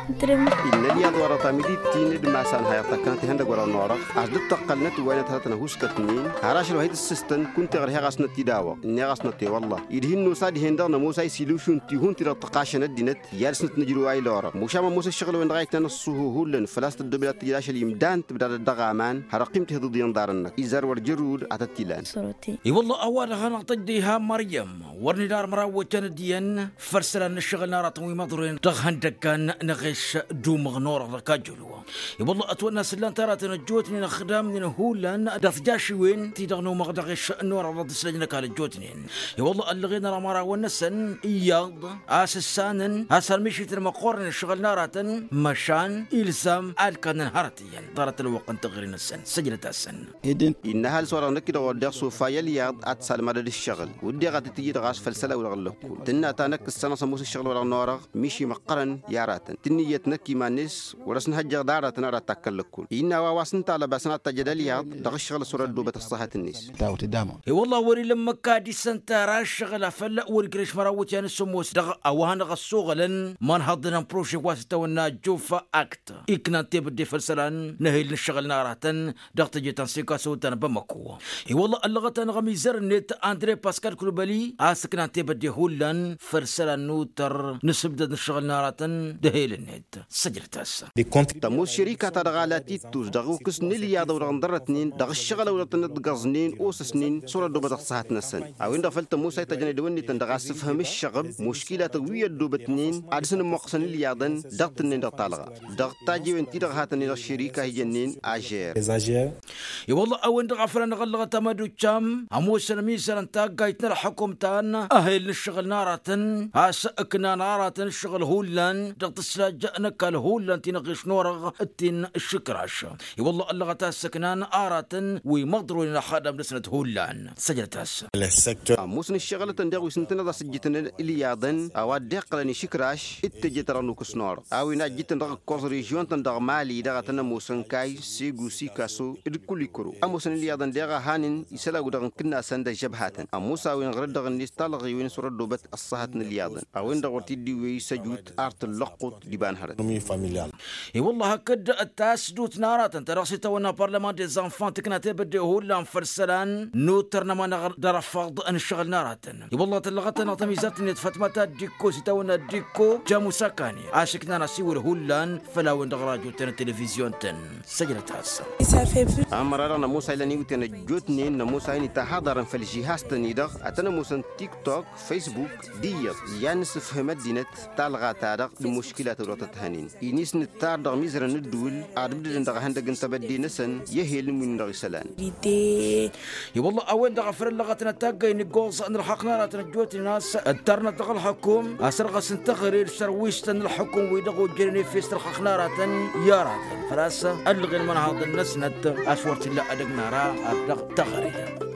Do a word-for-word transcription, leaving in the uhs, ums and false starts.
Innă ălyaḍ wăr-ătamidit-in d-imasan hayăḍ tăkkănăt ihăndăg wăr-ănn orăɣ. A-s dd-tăqqălnăt wa inăt hărăt n-ahuskătnen har ašăl wa hi-tǝssǝstăn kunta iɣrǝheɣ a-s năt-id-awăɣ. Innă iɣ-a-s năt i-wălla-hi d-hin-nosa dihen-dăɣ nămoos a isilušun tihun-ti-dăɣ tăqqašăn ăddinăt i-ad-dăr-snăt nǝjrǝw a ila orăɣ mušam ămoos ǝššăɣǝl-wen-dăɣ a itnan ăṣṣuhu hullan făl-a-s tăddoobed ad-t-tǝjǝd ašăl imdan tǝbdadăt dăɣ-aman hărăqqim-t ihǝḍǝḍ iyyăn ḍarăn-năk izar wăr jărrud ad-tăt-ilan. I-wălla a-wa-dăɣ hanăɣ-tăjj diha măryăm wăr nǝdar măraw wăjjan d-iyyăn făll-isălan n-ǝššăɣǝl n-aratăn wi măḍroyăn dăɣ-ihăndăggan n-aɣeš d-umăɣ n-orăɣ dăɣ-kajjălwa. I-wălla ătwănna s-ǝllan-t aratăn ăjjootnen ăxdamnen hullan dăɣ-tijašiwen-ti-dăɣ n-umăɣ d-aɣeš n-orăɣ dăɣ-tǝslăjnăk a lăjjootnen. I-wălla ăllăɣen ara imărawăn-năsăn iyyăḍ a-s ǝssanăn a-s ălmišităn măqqoornen ǝššăɣǝl n-aratăn măšan ilzam ad-kannăn hărăt iyyăn ḍarăt ălwăqq n-taɣri-năsăn săjdăt-asăn. Innă ăhalǝs-wa-dăɣ năkk-i-dăɣ oddeɣ s-ofa i-ălyaḍ ad-t-salmădăd ǝššăɣǝl wǝdden ad-t-tǝjǝy dăɣ-a-s făll-isălan-wi-dăɣ ǝllăkkol tǝnna ta năkk ǝssanăɣ s-ămoos ǝššăɣǝl-wa-dăɣ n-orăɣ miši măqqărăn i-aratăn tǝnnǝyyăt năkk iman-net wăr-ăsnăhăjjăɣ d-aratăn ad-takkăn lăkkol. Innă a-wa wa s-ǝnta alăbasăn ad-t-ajăd ălyaḍ dăɣ-ǝššăɣǝl a-s wăr-ăddoobăt ăṣṣahăt-net. I-wălla wăr-ila ǝmmǝk ad-isănta ara ǝššăɣǝl afăl wăr-ijrăš măraw iwǝtyan s-ămoos dăɣ-a-wa hanăɣ-ăssoɣălăn imănhăḍăn n-prože wa s-itawănna juffa akt iknan tebădde făll-isălan n-ehel n-ǝššăɣǝl n-aratăn dăɣ-teje ta n-sikaso ta n-bamako. I-wălla ăllăɣăt-anăɣ ămizăr-net andre paskal kulbăli a-s ǝknan tebădde hullan făll-isălan n-utăr n-asǝbdăd n-ǝššăɣǝl n-aratăn d-ehel-net. Săjdăt-as. Tămoos šărika-ta-dăɣ a la tittus dăɣ-ukǝs n-ilyaḍ ăwdăɣ ǝnḍărrătnen dăɣ-ǝššăɣǝl ăwdăɣ tănnăt tǝggăẓnen osăsnen s-wăr-ăddoobăt ăṣṣahăt-năsăn. A-wen-dăɣ făl tămoos a ităjnăy dăwănnetăn dăɣ-asǝfhǝm ǝššăɣǝb muškilatăn wi ăddoobătnen ad-dăr-săn ǝmmoqqăsăn ilyaḍăn dăɣ-tǝnnen dăɣ-talɣa dăɣ-tajewen-ti-dăɣ hatăn-i dăɣ-šărika a hi-jănnen ažer. I-wălla a-wen-dăɣ a făl anăɣ-ăllăɣăt amădučam ămoosăn ămizăr n-taggayt n-ălxukum ta n-ehel n-ǝššăɣǝl n-aratăn a-s ǝknan aratăn ǝššăɣǝl hullan dăɣ-tǝslaj n-ăkall hullan ti n-aɣeš n-orăɣ d-ti n-ǝššǝkraš. I-wălla ăllăɣăt a-s ǝknan aratăn wi măḍroyăn ălxadam-năsnăt hullan. Săjdăt-as. Ămoosăn ǝššăɣǝlătăn daɣ wi s-ǝntăneḍ a-s ǝjjǝtăn ilyaḍăn a-wa dd-iqqălăn išǝkraš d-teje-ta-dăɣ n-ukǝs n-orăɣ a-wen a ǝjjǝtăn dăɣ-ǝkkoẓ režion-tăn dăɣ-mali dăɣ-a tăn-ămoosăn kayy segu sikaso d-kulikro. Ămoosăn ilyaḍăn deɣ a hanăn isălan-wi-dăɣ n-kǝnnasăn d-ăžžăbhatăn ămoos a-wen ɣăr-dd-dăɣ-net talɣiwen s-wăr-ăddoobăt ăṣṣahăt n-ilyaḍăn. A-wen-dăɣ wăr t-dd-iwwey s-ăjut ar tǝllăqqut d-iba n-hărăt. I-wălla hakd tasdut n-aratăn ta dăɣ-s itawănna parlaman des enfants tǝkna tebădde hullan făll-isălan n-utăr n-ămanăɣ d-arăfaḍ n-ǝššăɣǝl n-aratăn. I-wălla tăllăɣăt-anăɣ tămizat-net fătmăt ad-dd-ikko s-itawănna dd-ikko jamusakani a-s iknan asiwǝl hullan făll-a-wen-dăɣ rajo-tăn d-televizyon-tăn. Săjdăt-as. Ămăra-dăɣ nămoos a ilăn iwǝtyan ăjjootnen nămoos a inǝtahaḍarăn făll-žihaz-tăn-i-dăɣ ad-tăn-ămoosăn tiktok, facebook d-iyyăḍ i-ad-nǝsǝfhǝm ăddinăt talɣa-ta-dăɣ d-imuškilat ăwdăɣ tăt-hănen-in-i s-nǝttar dăɣ-imizărăn n-ǝddǝwǝl ad-ǝbdădăn dăɣ-ehăndăg n-tebădde-năsăn i-ehel n-win-dăɣ isălan. I-wălla a-wen-dăɣ a făl ăllăɣătnăt taggay n-iggoẓ n-ălxaqq n-aratăn ăjjootnen a-s ǝttărnăt dăɣ-ălxukum a-s ărɣăsăn taɣăre d-sărwis-tăn n-ălxukum-wi-dăɣ ojjănen efes n-ălxaqq n-aratăn i-aratăn făl-a-s ăllăɣen imănhaḍăn-năsnăt a-s wăr t-illa edăgg n-ara ar dăɣ-taɣăre.